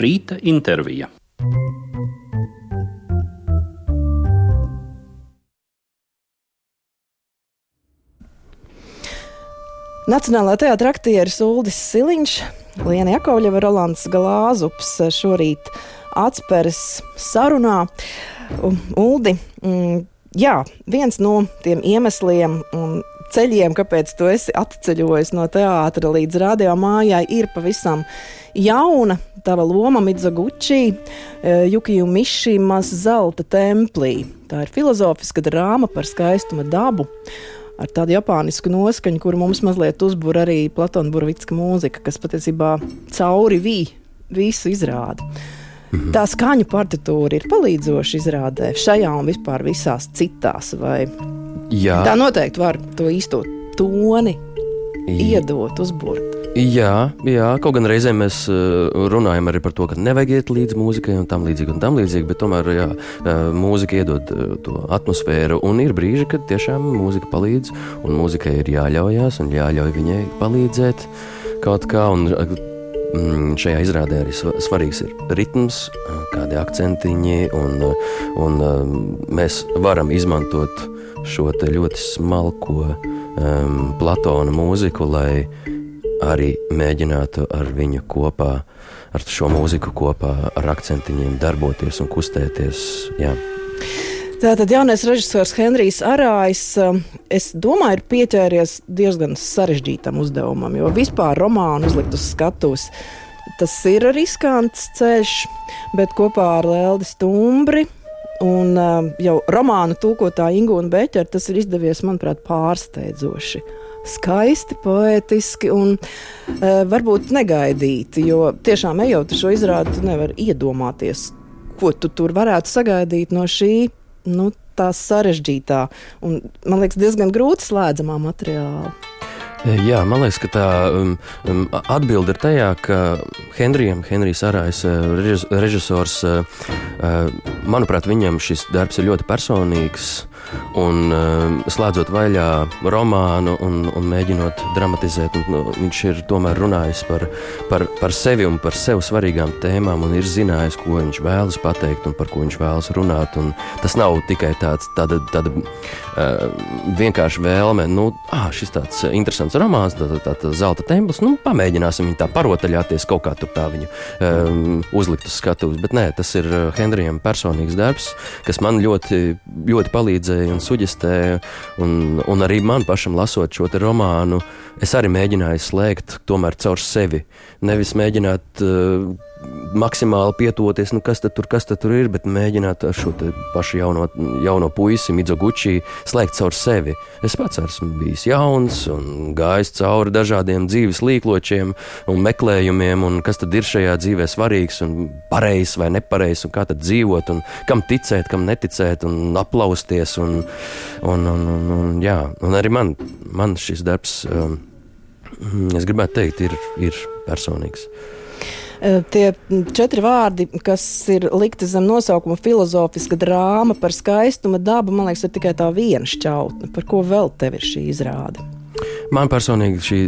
Rīta intervija. Nacionālā teātra aktieris Uldis Siliņš, Liena Jakovļeva, Rolands Glāzups šorīt Atsperes sarunā. Uldi, viens no tiem iemesliem un ceļiem, kāpēc tu esi atceļojis no teātra līdz radio mājai, ir pavisam jauna tava loma Midzoguči, Jukiju Mišimas Zelta templī. Tā ir filozofiska drāma par skaistuma dabu, ar tādu japānisku noskaņu, kuru mums mazliet uzbur arī Platona Burovicka mūzika, kas patiesībā cauri visu izrāda. Tā skaņu partitūra ir palīdzoša izrādē šajā un vispār visās citās, vai tā noteikti var to īsto toni iedot, uzburt? Jā, kaut gan reizēm mēs runājam arī par to, ka nevajag iet līdz mūzikai un tam līdzīgi, bet tomēr, mūzika iedod to atmosfēru, un ir brīži, kad tiešām mūzika palīdz, un mūzikai ir jāļaujās un jāļauj viņai palīdzēt kaut kā, un šajā izrādē arī svarīgs ir ritms, kādi akcentiņi, un mēs varam izmantot šo te ļoti smalko Platona mūziku, lai arī mēģinātu ar viņu kopā, ar šo mūziku kopā, ar akcentiņiem darboties un kustēties, jā. Tātad jaunais režisors Henrijs Arājs, es domāju, ir pieķēries diezgan sarežģītam uzdevumam, jo vispār romānu uzlikt uz skatuves, tas ir riskants ceļš, bet kopā ar Leldi Stumbri un jau romānu tulkotāju Ingūnu Beķeri tas ir izdevies, manuprāt, pārsteidzoši. Skaisti, poētiski un varbūt negaidīti, jo tiešām ejot šo izrādi, tu nevar iedomāties, ko tu tur varētu sagaidīt no šī, tā sarežģītā un, man liekas, diezgan grūti slēdzamā materiāla. Jā, man liekas, ka tā atbilde ir tajā, ka Henrijs Arājs, režisors, manuprāt, viņam šis darbs ir ļoti personīgs, un slēdzot vaļā romānu un mēģinot dramatizēt, viņš ir tomēr runājis par sevi un par sev svarīgām tēmām un ir zinājis, ko viņš vēlas pateikt un par ko viņš vēlas runāt, un tas nav tikai tāda vienkārši vēlme, šis tāds interesants romāns, tā Zelta templis, pamēģināsim viņu tā parotaļāties, kaut kā tur tā viņu uzlikt uz skatuves, bet nē, tas ir Henrijam personīgs darbs, kas man ļoti, ļoti palīdzēja un suģestēja, un arī man pašam lasot šo te romānu, es arī mēģināju slēgt tomēr caur sevi, nevis mēģināt maksimāli pietuvoties, kas tad tur ir, bet mēģināt ar šo te pašu jauno puisi, Midzoguči, slēgt caur sevi. Es pats esmu bijis jauns un gājis cauri dažādiem dzīves līkločiem un meklējumiem, un kas tad ir šajā dzīvē svarīgs un pareizs vai nepareizs, un kā tad dzīvot, un kam ticēt, kam neticēt, un aplausties, un arī man šis darbs, es gribētu teikt, ir personīgs. Tie 4 vārdi, kas ir likti zem nosaukuma filozofiska drāma par skaistuma dabu, man liekas, ir tikai tā viena šķautne. Par ko vēl tev ir šī izrāde? Man personīgi šī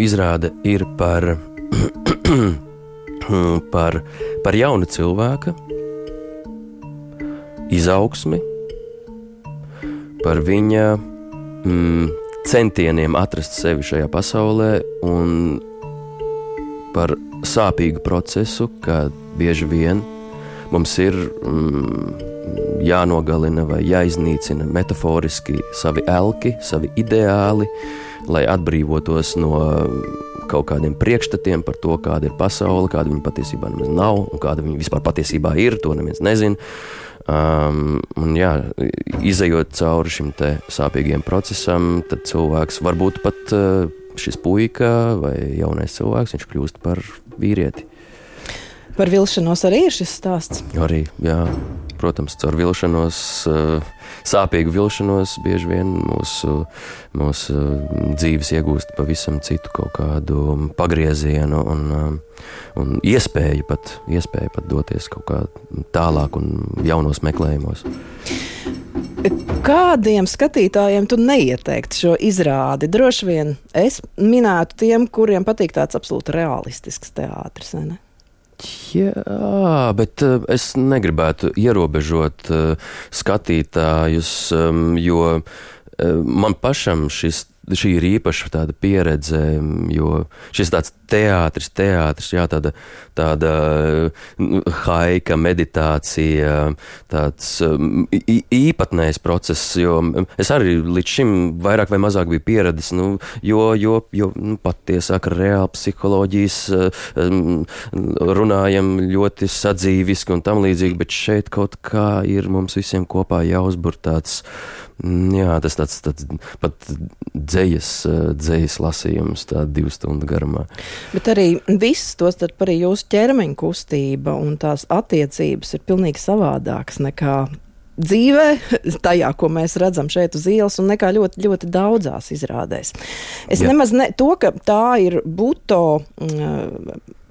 izrāde ir par jaunu cilvēka izaugsmi, par viņa centieniem atrast sevi šajā pasaulē un par sāpīgu procesu, ka bieži vien mums ir jānogalina vai jāiznīcina metaforiski savi elki, savi ideāli, lai atbrīvotos no kaut kādiem priekšstatiem par to, kāda ir pasaule, kāda viņa patiesībā nemaz nav, un kāda viņa vispār patiesībā ir, to neviens nezina. Izejot cauri šim te sāpīgiem procesam, tad cilvēks varbūt pat šis puika vai jaunais cilvēks, viņš kļūst par vīrieti. Par vilšanos arī ir šis stāsts? Arī, jā. Protams, caur vilšanos, sāpīgu vilšanos bieži vien mūsu dzīves iegūst pavisam citu kaut kādu pagriezienu un iespēju pat doties kaut kā tālāk un jaunos meklējumos. Kādiem skatītājiem tu neieteiktu šo izrādi? Droši vien es minētu tiem, kuriem patīk tāds absolūti realistisks teātris, vai ne? Jā, bet es negribētu ierobežot skatītājus, jo man pašam šī ir īpaša tāda pieredze, jo šis tāds teātris, jā, tāda haika, meditācija, tāds īpatnējs process, jo es arī līdz šim vairāk vai mazāk biju pieredzis, jo patiesāk reāli psiholoģijas runājam ļoti sadzīviski un tam līdzīgi, bet šeit kaut kā ir mums visiem kopā jāuzbur tāds, jā, tas tāds pat dzejas lasījums, tā 2 stundu garumā. Bet arī viss, tostarp arī jūsu ķermeņa kustība un tās attiecības ir pilnīgi savādākas nekā dzīvē, tajā, ko mēs redzam šeit uz ielas, un nekā ļoti, ļoti daudzās izrādēs. Es nemaz to, ka tā ir buto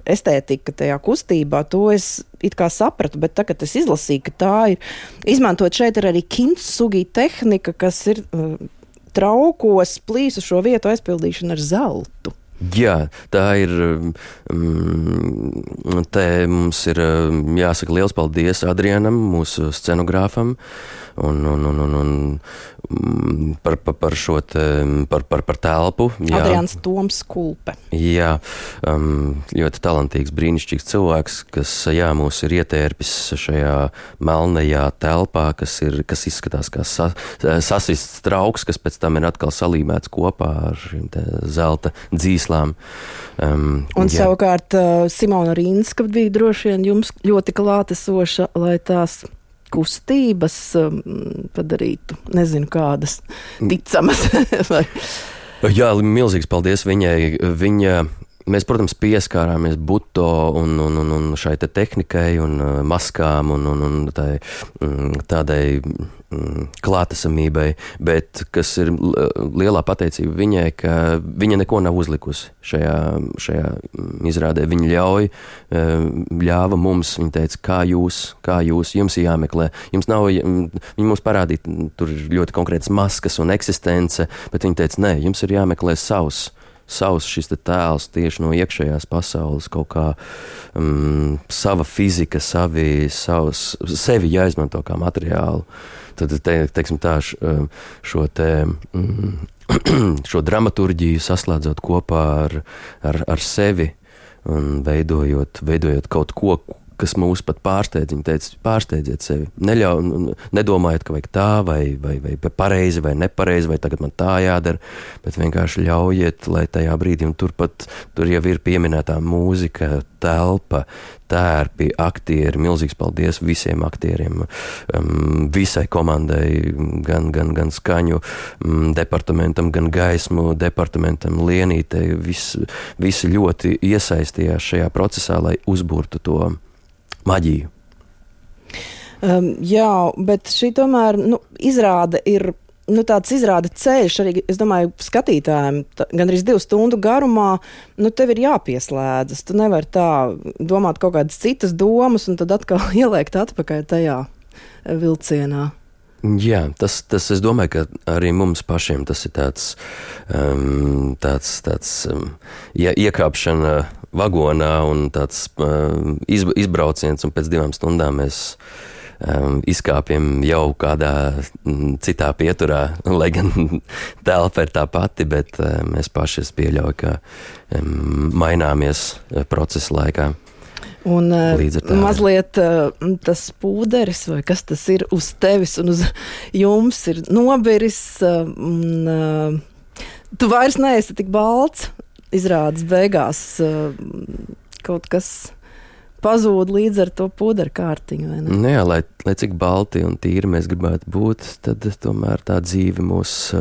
estētika tajā kustībā, to es it kā sapratu, bet tagad es izlasīju, ka tā ir izmantot šeit arī kintsugi tehnika, kas ir traukos plīsušo vietu aizpildīšana ar zeltu. Jā, tā ir, te mums ir jāsaka liels paldies Adrianam, mūsu scenogrāfam, un par šo te, par telpu. Jā. Adrians Toms Kulpe. Jā, ļoti talantīgs, brīnišķīgs cilvēks, kas, jā, mūs ir ietērpis šajā melnajā telpā, kas izskatās kā sasists trauks, kas pēc tam ir atkal salīmēts kopā ar šīm te zelta dzīslām. Un savukārt Simona Rīnska bija droši vien jums ļoti klātesoša, lai tās kustības padarītu, nezinu kādas, ticamas. Jā, milzīgs paldies viņai. Mēs, protams, pieskārāmies buto un šai te tehnikai un maskām un tādai klātesamībai, bet kas ir lielā pateicība viņai, ka viņa neko nav uzlikusi šajā izrādē. Viņa ļāva mums, viņa teica, kā jūs, jums ir jāmeklē. Viņa mums parādīja, tur ir ļoti konkrētas maskas un eksistence, bet viņa teica, nē, jums ir jāmeklē savs šis te tēls tieši no iekšējās pasaules, kaut kā sava fizika, sevi jāizmanto kā materiālu. Tad, teiksim tā, šo dramaturģiju saslēdzot kopā ar sevi un veidojot kaut ko, kas mūs pat pārsteidz. Viņa teica, pārsteidziet sevi. Nedomājiet, ka vajag tā, vai pareizi, vai nepareizi, vai tagad man tā jādara, bet vienkārši ļaujiet, lai tajā brīdī, un tur jau ir pieminētā mūzika, telpa, tērpi, aktieri, milzīgs paldies visiem aktieriem, visai komandai, gan skaņu departamentam, gan gaismu departamentam, Lienītei, visi ļoti iesaistījās šajā procesā, lai uzburtu to maģiju. Jā, bet šī tomēr izrāde ir tāds izrāda ceļš arī, es domāju, skatītājiem gandrīz 2 stundu garumā, tev ir jāpieslēdzas. Tu nevari tā domāt kaut kādas citas domas un tad atkal ieliekt atpakaļ tajā vilcienā. Jā, tas es domāju, ka arī mums pašiem tas ir tāds iekāpšana vagonā un tāds izbrauciens, un pēc 2 stundām mēs izkāpjam jau kādā citā pieturā, lai gan telpa ir tā pati, bet mēs paši pieļauju, ka maināmies procesa laikā. Un mazliet tas pūderis, vai kas tas ir uz tevis un uz jums ir nobiris, tu vairs neesi tik balts, izrādes beigās kaut kas pazūd līdz ar to pūderu kārtiņu, vai ne? Jā, lai cik balti un tīri mēs gribētu būt, tad tomēr tā dzīve mūs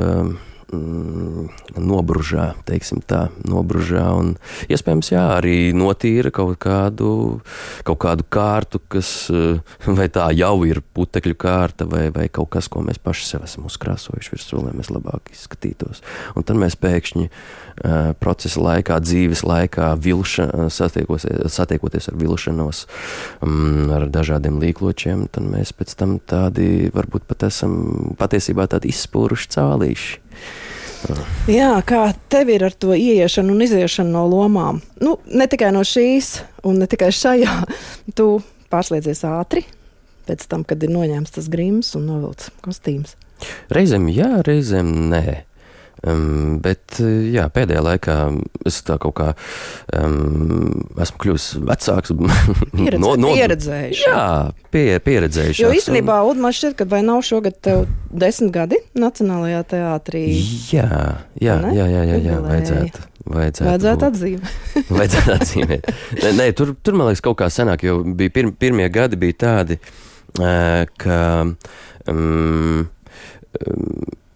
nobružā, teiksim tā, un iespējams, jā, arī notīra kaut kādu kārtu, kas vai tā jau ir putekļu kārta, vai kaut kas, ko mēs paši sev esam uzkrāsojuši virsū, lai mēs labāk izskatītos. Un tad mēs pēkšņi procesa laikā, dzīves laikā, satiekoties ar vilšanos, ar dažādiem līkločiem, tad mēs pēc tam tādi, varbūt pat esam patiesībā tādi izspūruši cālīši. Jā, kā tev ir ar to ieiešanu un iziešanu no lomām? Nu, ne tikai no šīs, un ne tikai šajā. Tu pārslēdzies ātri, pēc tam, kad ir noņēmts tas grims un novilts kostīms. Reizēm jā, reizēm nē. Bet jā, pēdējā laikā es tā kaut kā esmu kļuvis vecāks. Pieredzējuši. Jā, pieredzējuši. Jo īstenībā, Uldi, man šķiet, ka vai nav šogad tev 10 gadi Nacionālajā teātrī? Jā, vajadzētu atzīmēt. Vajadzētu atzīmēt. Nē, tur man liekas kaut kā senāk, jo bija pirmie gadi bija tādi, ka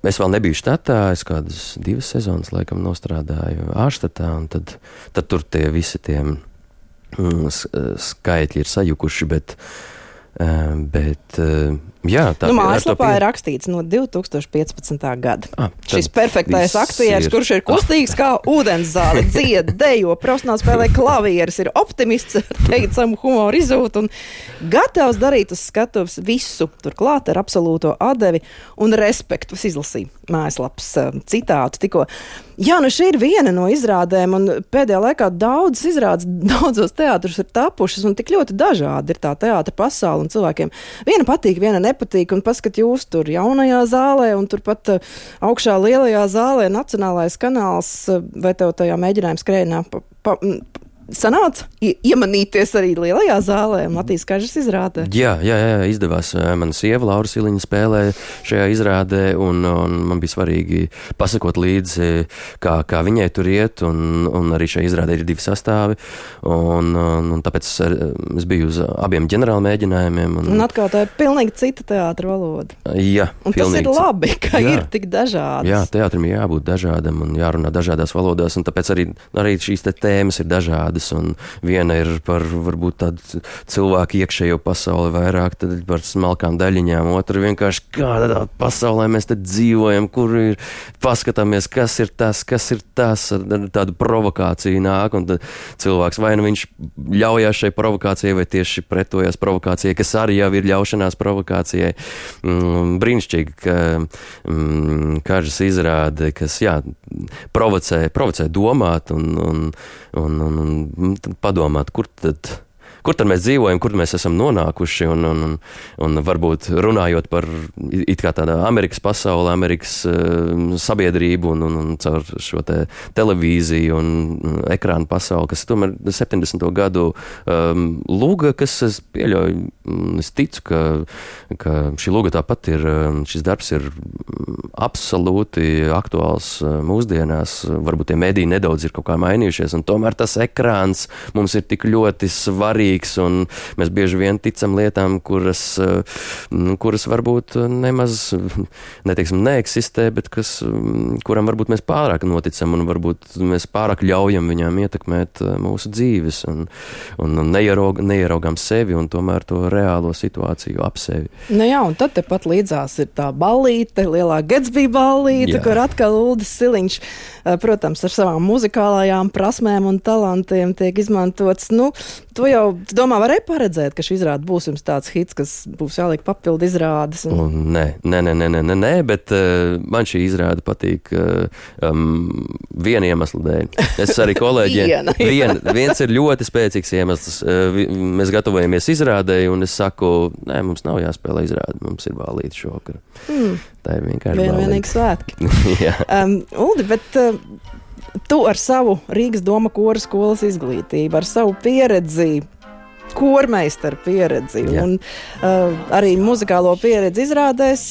es vēl nebiju štatā, es kādas 2 sezonas laikam nostrādāju ārštatā, un tad tur tie visi tie skaitļi ir sajukuši, bet jā, tā mājaslapā ir rakstīts no 2015. gada. Šis perfektais aktieris, kurš ir kustīgs kā ūdenszāle, dzied, dejo, profesionāli spēlē klavieres, ir optimists, teicamu humoru izjūtu un gatavs darīt uz skatuves visu, turklāt ar absolūto atdevi un respektu. Es izlasīju mājaslapas citātu tikko. Jā, nu šī ir viena no izrādēm, un pēdējā laikā daudzas izrādes, daudzos teātrus ir tapušas, un tik ļoti dažādi ir tā teātra pasaule, un cilvēkiem viena patīk, viena nepatīk, un paskat jūs tur jaunajā zālē, un turpat augšā lielajā zālē Nacionālais kanāls, vai tev tajā mēģinājuma skrējienā sanāca iemanīties arī lielajā zālē, Matīs Kažas izrādē? Jā, izdevās. Mana sieva Laura Siliņa spēlē šajā izrādē, un man bija svarīgi pasakot līdzi, kā viņai tur iet, un arī šajā izrādē ir 2 sastāvi, un tāpēc es biju uz abiem ģenerāla mēģinājumiem. Un atkal tā ir pilnīgi cita teātra valoda. Jā, un tas ir labi, ka ir tik dažādas. Jā, teātrim jābūt dažādam un jārunā dažādās valodās, un tāpēc arī šīs tēmas ir dažādas. Un viena ir par varbūt tādu cilvēku iekšējo pasauli vairāk par smalkām daļiņām, otra vienkārši kādā pasaulē mēs te dzīvojam, kur ir paskatāmies, kas ir tas, ar tādu provokāciju nāk, un tad cilvēks vai nu viņš ļaujās šai provokācijai, vai tieši pretojās provokācijai, kas arī jau ir ļaušanās provokācijai. Brīnišķīgi, ka Kažas izrāde, kas provocē domāt un padomāt, kur tad mēs dzīvojam, kur mēs esam nonākuši, un varbūt runājot par it kā tādā Amerikas pasauli, Amerikas sabiedrību un caur šo te televīziju un ekrānu pasauli, kas tomēr 70. gadu luga, kas es pieļauju, es ticu, ka šī luga tāpat ir, šis darbs ir absolūti aktuāls mūsdienās, varbūt tie mediji nedaudz ir kaut kā mainījušies, un tomēr tas ekrāns mums ir tik ļoti svarīgs, un mēs bieži vien ticam lietām, kuras varbūt nemaz, neeksistē, bet kuram varbūt mēs pārāk noticam, un varbūt mēs pārāk ļaujam viņām ietekmēt mūsu dzīves, un neieraugām sevi, un tomēr to reālo situāciju ap sevi. Nu jā, un tad tepat līdzās ir tā ballīte, lielā Gatsby ballīte, kur atkal Uldis Siliņš, protams, ar savām muzikālajām prasmēm un talantiem tiek izmantots. Nu, tu domā, varēja paredzēt, ka šī izrāde būs jums tāds hits, kas būs jāliek papildu izrādes? Nē, bet man šī izrāde patīk viena iemesla dēļ. Es arī kolēģiem. Viens ir ļoti spēcīgs iemesls. Mēs gatavojamies izrādēji, un es saku, nē, mums nav jāspēlē izrāde, mums ir ballīte šovakar. Tā ir vienkārši vienīgi svētki. Uldi, bet tu ar savu Rīgas Doma kora skolas izglītību, ar savu pieredzi, kormeistaru pieredzi un arī muzikālo pieredzi izrādēs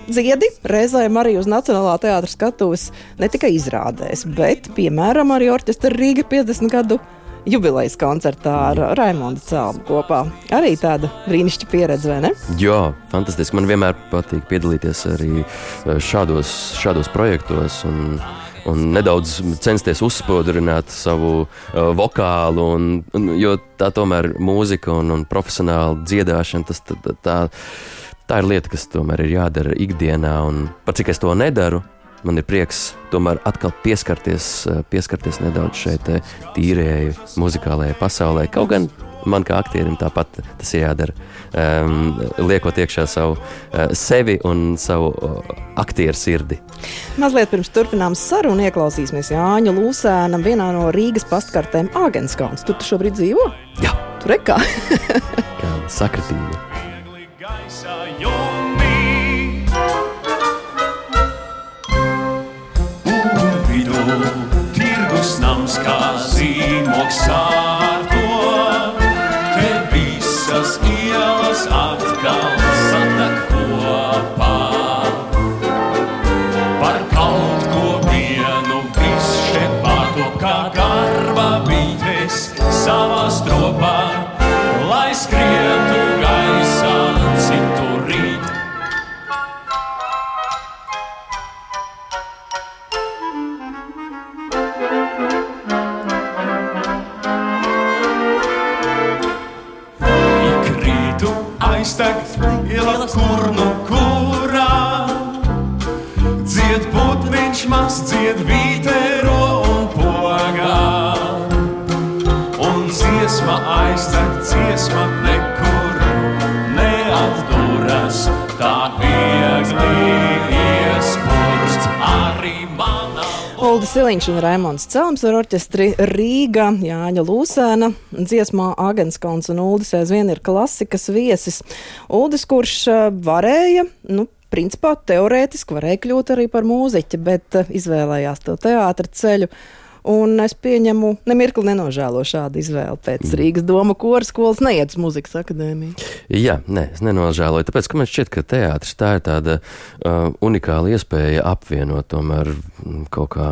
dziedi, reizēm arī uz Nacionālā teātra skatuves ne tikai izrādēs, bet, piemēram, arī orķestra Rīga 50 gadu jubilejas koncertā ar Raimondu Celmu kopā. Arī tāda brīnišķīga pieredze, vai ne? Jā, fantastiski. Man vienmēr patīk piedalīties arī šādos projektos un nedaudz censties uzspodrināt savu vokālu, jo tā tomēr mūzika un profesionāla dziedāšana, tā ir lieta, kas tomēr ir jādara ikdienā, un par cik es to nedaru, man ir prieks tomēr atkal pieskarties nedaudz šeit tīrēji muzikālajai pasaulē. Kaut gan man kā aktierim tāpat tas jādara. Liekot iekšā savu sevi un savu aktieru sirdi. Mazliet pirms turpinām sarunu ieklausīsimies Jāņa Lūsēna vienā no Rīgas pastkartēm Āgenskalns. Tu šobrīd dzīvo? Jā. Tur rekā. Kāda sakritība. Tirgus nams kā zīmoks sārto, te visas ielas atkal satak kopā. Par kaut ko vienu viss šeit pārto, kā garba bītes savā stropā, lai skrietu gaisā citu rīt. Aiztag iela kur nu kurā, dzied putniņš maz, dzied vītero un pogā. Un dziesma aiztag, dziesma nekur neatduras, tā viegli iespurst arī manā. Uldis Siliņš un Raimonds Celms ar orķestri Rīga, Jāņa Lūsēna, dziesmā Āgenskalns un Uldis aizvien ir klasikas viesis. Uldis, kurš varēja, principā teorētiski varēja kļūt arī par mūziķi, bet izvēlējās to teātra ceļu. Un es pieņemu, nemirkli nenožēlo šādu izvēli pēc Rīgas Doma kora skolas neiet uz muzikas akadēmiju. Jā, es nenožēloju, tāpēc, ka man šķiet, ka teātris tā ir tāda unikāla iespēja apvienot tomēr kaut kā,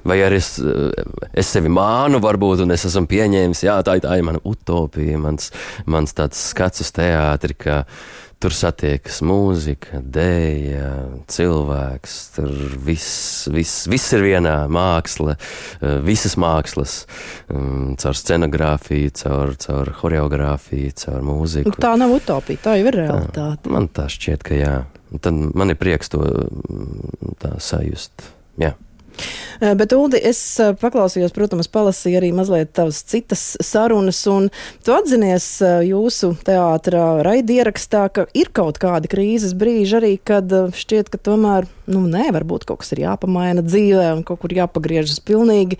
vai arī es sevi mānu varbūt, un es esmu pieņēmis, jā, tā ir mana utopija, mans tāds skats uz teātri, ka tur satiekas mūzika, dēja, cilvēks, tur viss ir vienā, māksla, visas mākslas, caur scenogrāfiju, caur horeogrāfiju, caur mūziku. Tā nav utopija, tā jau ir realitāte. Man tā šķiet, ka jā. Tad man ir prieks to tā sajust, jā. Bet, Uldi, es paklausījos, protams, palasīju arī mazliet tavas citas sarunas, un tu atzinies jūsu teātra raidierakstā, ka ir kaut kādi krīzes brīži arī, kad šķiet, ka tomēr, varbūt kaut kas ir jāpamaina dzīvē un kaut kur jāpagriežas pilnīgi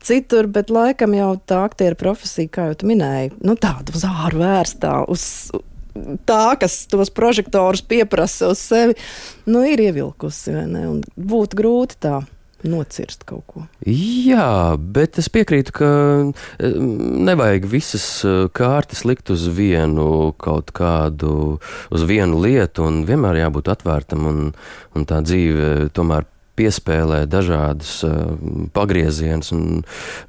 citur, bet laikam jau tā aktiera profesija, kā jau tu minēji, tāda uz āru vērstā, uz tā, kas tos prožektorus pieprasa uz sevi, ir ievilkusi, vai ne? Un būtu grūti tā nocirst kaut ko. Jā, bet es piekrītu, ka nevajag visas kārtas likt uz vienu kaut kādu, uz vienu lietu, un vienmēr jābūt atvērtam, un tā dzīve tomēr piespēlē dažādus pagriezienus, un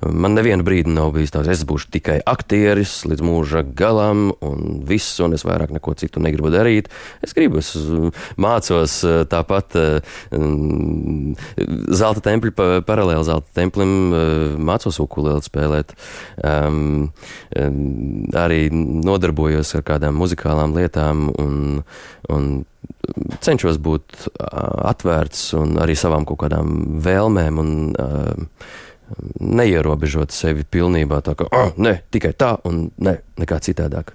man nevienu brīdi nav bijis tāds, es būšu tikai aktieris līdz mūža galam, un viss, un es vairāk neko citu negribu darīt. Es mācos tāpat Zelta tempļa, paralēli Zelta templim, mācos ukulēli spēlēt, arī nodarbojos ar kādām muzikālām lietām, un cenšos būt atvērts un arī savām kaut kādām vēlmēm un neierobežot sevi pilnībā tā, ka tikai tā un nekā citādāk.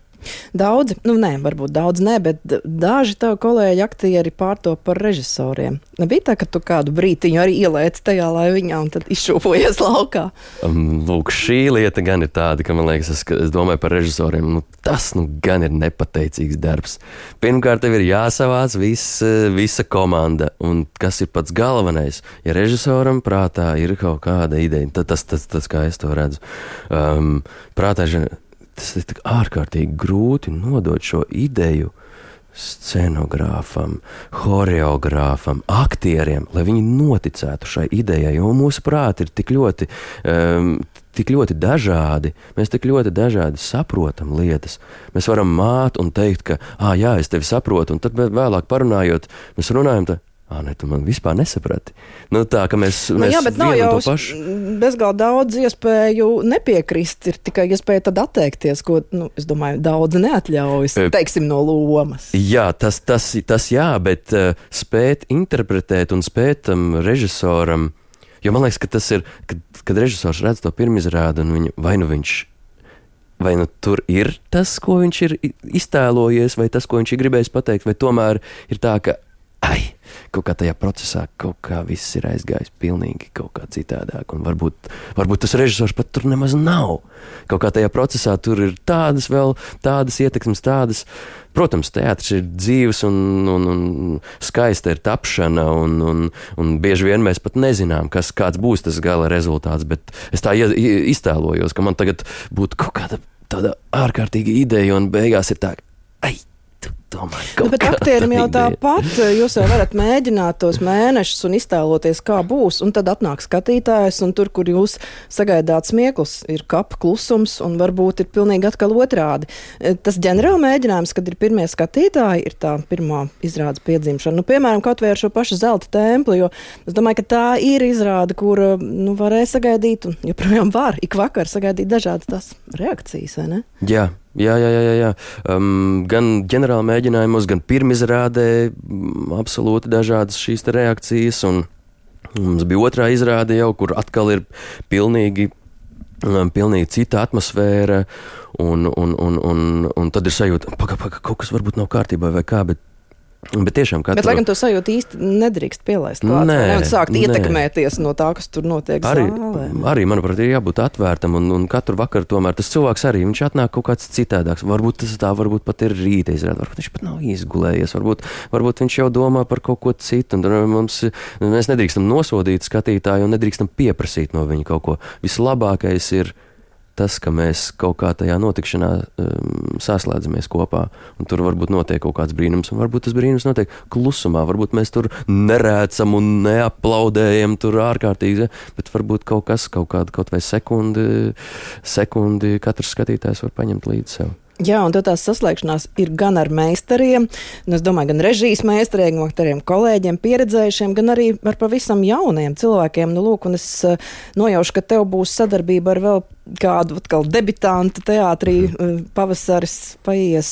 Daudzi, varbūt daudz ne, bet daži tavi kolēģi aktieri pārtop par režisoriem. Nebija tā, ka tu kādu brītiņu arī ielēci tajā laiviņā un tad izšūpojies laukā? Lūk, šī lieta gan ir tāda, ka man liekas, es domāju par režisoriem, tas gan ir nepateicīgs darbs. Pirmkārt, tev ir jāsavāc visa komanda, un kas ir pats galvenais, ja režisoram prātā ir kaut kāda ideja, tad tas kā es to redzu, prātā tas ir tik ārkārtīgi grūti nodot šo ideju scenogrāfam, horeogrāfam, aktieriem, lai viņi noticētu šai idejai, jo mūsu prāti ir tik ļoti dažādi, mēs tik ļoti dažādi saprotam lietas. Mēs varam māt un teikt, ka, jā, es tevi saprotu, un tad vēlāk parunājot, mēs runājam tu man vispār nesaprati. Tā, ka mēs jā, bet nav jau bezgalīgi daudz iespēju nepiekrist, ir tikai iespēja tad atteikties, ko, es domāju, daudz neatļaujas, teiksim, no lomas. Jā, tas jā, bet spēt interpretēt un spēt režisoram, jo man liekas, ka tas ir, kad režisors redz to pirmizrādi un vai viņš vai nu tur ir tas, ko viņš ir iztēlojies, vai tas, ko viņš ir gribējis pateikt, vai tomēr ir tā, ka kaut kā tajā procesā kaut kā viss ir aizgājis pilnīgi kaut kā citādāk, un varbūt tas režisors pat tur nemaz nav. Kaut kā tajā procesā tur ir tādas ietekmes, tādas. Protams, teātris ir dzīves un skaista ir tapšana, un bieži vien mēs pat nezinām, kāds būs tas gala rezultāts, bet es tā iztēlojos, ka man tagad būtu kaut kāda tāda ārkārtīga ideja, un beigās ir tā, bet aktierim jau tāpat, jūs jau varat mēģināt tos mēnešus un iztēloties, kā būs, un tad atnāk skatītājs, un tur, kur jūs sagaidāt smieklus, ir kapa klusums, un varbūt ir pilnīgi atkal otrādi. Tas ģenerāli mēģinājums, kad ir pirmie skatītāji, ir tā pirmā izrādes piedzimšana. Nu, piemēram, kaut vai ar šo pašu Zelta templi, jo es domāju, ka tā ir izrāde, kur varēja sagaidīt, un joprojām var ik vakar sagaidīt dažādas tās reakcijas, vai ne? Jā. Gan ģenerāla mēģinājumos, gan pirmizrādē absolūti dažādas šīs reakcijas, un mums bija otrā izrāde jau, kur atkal ir pilnīgi cita atmosfēra, un tad ir sajūta, kaut kas varbūt nav kārtībā vai kā, bet tiešām katru... Bet, laikam, to sajūtu īsti nedrīkst pielaist klāt, un sākt ietekmēties no tā, kas tur notiek zālē. Arī, manuprāt, ir jābūt atvērtam, un katru vakaru tomēr tas cilvēks arī, viņš atnāk kaut kāds citādāks. Varbūt tas tā, varbūt pat ir rīta izrāde, varbūt viņš pat nav izgulējies, varbūt viņš jau domā par kaut ko citu, un mēs nedrīkstam nosodīt skatītāju un nedrīkstam pieprasīt no viņa kaut ko. Vislabākais ir tas, ka mēs kaut kā tajā notikšanā saslēdzamies kopā, un tur varbūt notiek kaut kāds brīnums, un varbūt tas brīnums notiek klusumā, varbūt mēs tur nerēcam un neaplaudējam tur ārkārtīgi, bet varbūt kaut vai sekundi katrs skatītājs var paņemt līdzi sev. Jā, un tad tās saslēgšanās ir gan ar meistariem, un es domāju, gan režijas meistariem, gan kolēģiem, pieredzējušiem, gan arī ar pavisam jauniem cilvēkiem. Nu, lūk, un es nojaušu, ka tev būs sadarbība ar vēl kādu atkal debitantu teātrī, pavasaris paies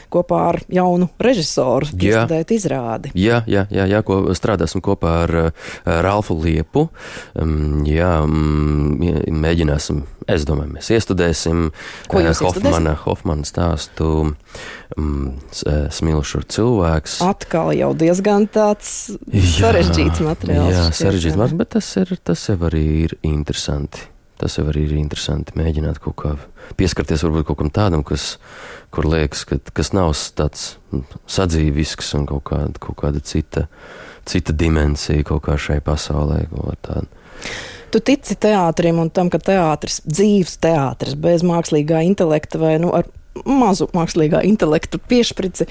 kopā ar jaunu režisoru, izstudēt izrādi. Jā, ko strādāsim kopā ar Ralfu Liepu. Mēģināsim, es domāju, mēs iestudēsim Hofmana stāstu Smilšu cilvēks. Atkal jau diezgan tāds sarežģīts materiāls. Jā, sarežģīts materiāls, bet tas jau arī ir interesanti. Tas jau arī ir interesanti mēģināt kaut kā pieskarties varbūt kaut kam tādam, kur liekas, kas nav tāds sadzīvisks un kaut kāda cita dimensija kaut kā šai pasaulē. Tu tici teātrim un tam, ka teātris, dzīves teātris, bez mākslīgā intelekta vai ar mazu mākslīgā intelektu piešprici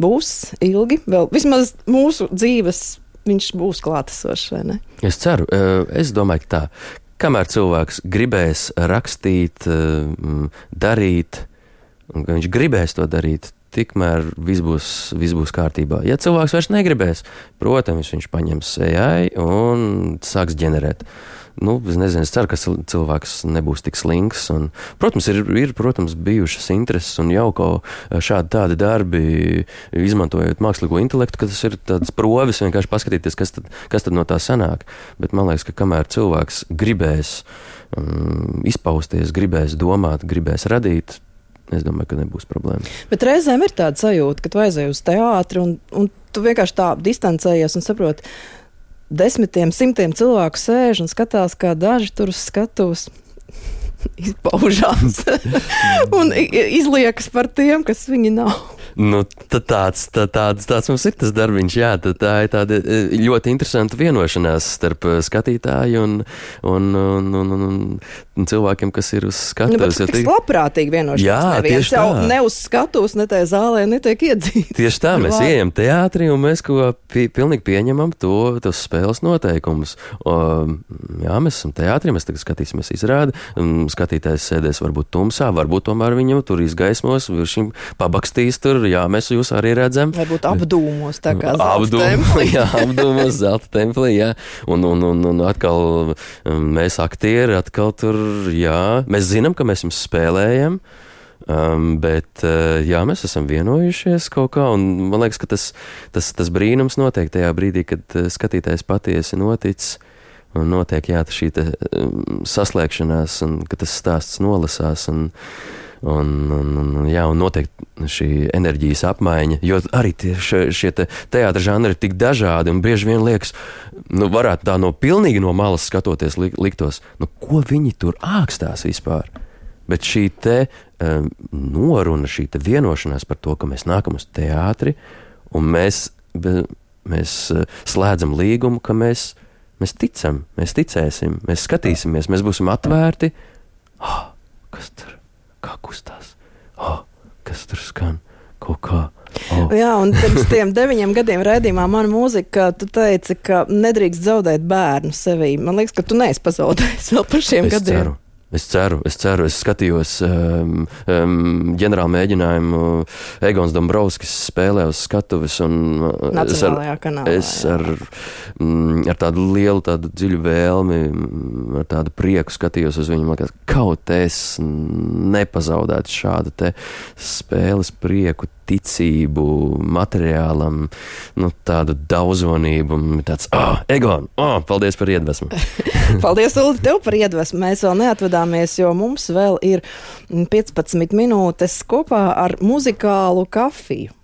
būs ilgi, vēl vismaz mūsu dzīves viņš būs klātesošs, vai ne? Es ceru, es domāju, ka tā. Kamēr cilvēks gribēs rakstīt, darīt, un ka viņš gribēs to darīt, tikmēr viss būs kārtībā. Ja cilvēks vairs negribēs, protams, viņš paņems AI un sāks ģenerēt. Es nezinu, es ceru, ka cilvēks nebūs tik slinks. Protams, ir bijušas intereses un jau tādi darbi, izmantojot mākslīgo intelektu, ka tas ir tāds provis vienkārši paskatīties, kas tad no tā sanāk. Bet man liekas, ka kamēr cilvēks gribēs izpausties, gribēs domāt, gribēs radīt, es domāju, ka nebūs problēma. Bet reizēm ir tāda sajūta, ka tu aizēji uz teātri un tu vienkārši tā distancējies un saproti, desmitiem, simtiem cilvēku sēž un skatās, kā daži tur uz skatuves izpaužās un izliekas par tiem, kas viņi nav. Tāds mums ir tas darbiņš, jā, tā ir tāda ļoti interesanta vienošanās starp skatītāju un cilvēkiem, kas ir uz skatuves. Bet tas labprātīgi vienošanās. Jā, tieši tā. Ne uz skatuves, ne tajā zālē netiek iedzīti. Tieši tā, mēs ejam teātrī un mēs pilnīgi pieņemam tos spēles noteikumus. Jā, mēs esam teātrī, mēs tagad skatīsimies izrādi, skatītājs sēdēs varbūt tumsā, varbūt tomēr viņam tur izgaismos, viņam pabakstīs tur. Jā, mēs jūs arī redzam. Varbūt apdūmos, tā kā Zelta templī. Jā, apdūmos Zelta templī, jā. Un atkal mēs aktieri, atkal tur, jā. Mēs zinām, ka mēs jums spēlējam, bet, jā, mēs esam vienojušies kaut kā, un man liekas, ka tas brīnums notiek tajā brīdī, kad skatītājs patiesi noticis, un notiek šī saslēgšanās, un ka tas stāsts nolasās, un notiek šī enerģijas apmaiņa, jo arī šie teātra žanri ir tik dažādi, un bieži vien liekas, varētu tā pilnīgi no malas skatoties liktos, ko viņi tur ākstās vispār. Bet šī noruna, šī vienošanās par to, ka mēs nākam uz teātri, un mēs slēdzam līgumu, ka mēs ticam, mēs ticēsim, mēs skatīsimies, mēs būsim atvērti. Kas tur? Kā kustās? Kas tur skan? Kaut kā? Jā, un pirms tiem 9 gadiem raidījumā Mana mūzika, tu teici, ka nedrīkst zaudēt bērnu sevī. Man liekas, ka tu neesi pazaudējis vēl par šiem gadiem. Es ceru. Es skatījos ģenerālu mēģinājumu. Egons Dombrovskis spēlē uz skatuves. Nacionālajā kanālā. Es ar tādu lielu, tādu dziļu vēlmi, ar tādu prieku skatījos uz viņu. Man liekas, kaut es nepazaudētu šādu te spēles prieku, ticību, materiālam, tādu daudzonību. Tāds, Egon, paldies par iedvesmu. Paldies, Uldi, tev par iedvesmu. Mēs vēl neatvadāmies, jo mums vēl ir 15 minūtes kopā ar muzikālu kafiju.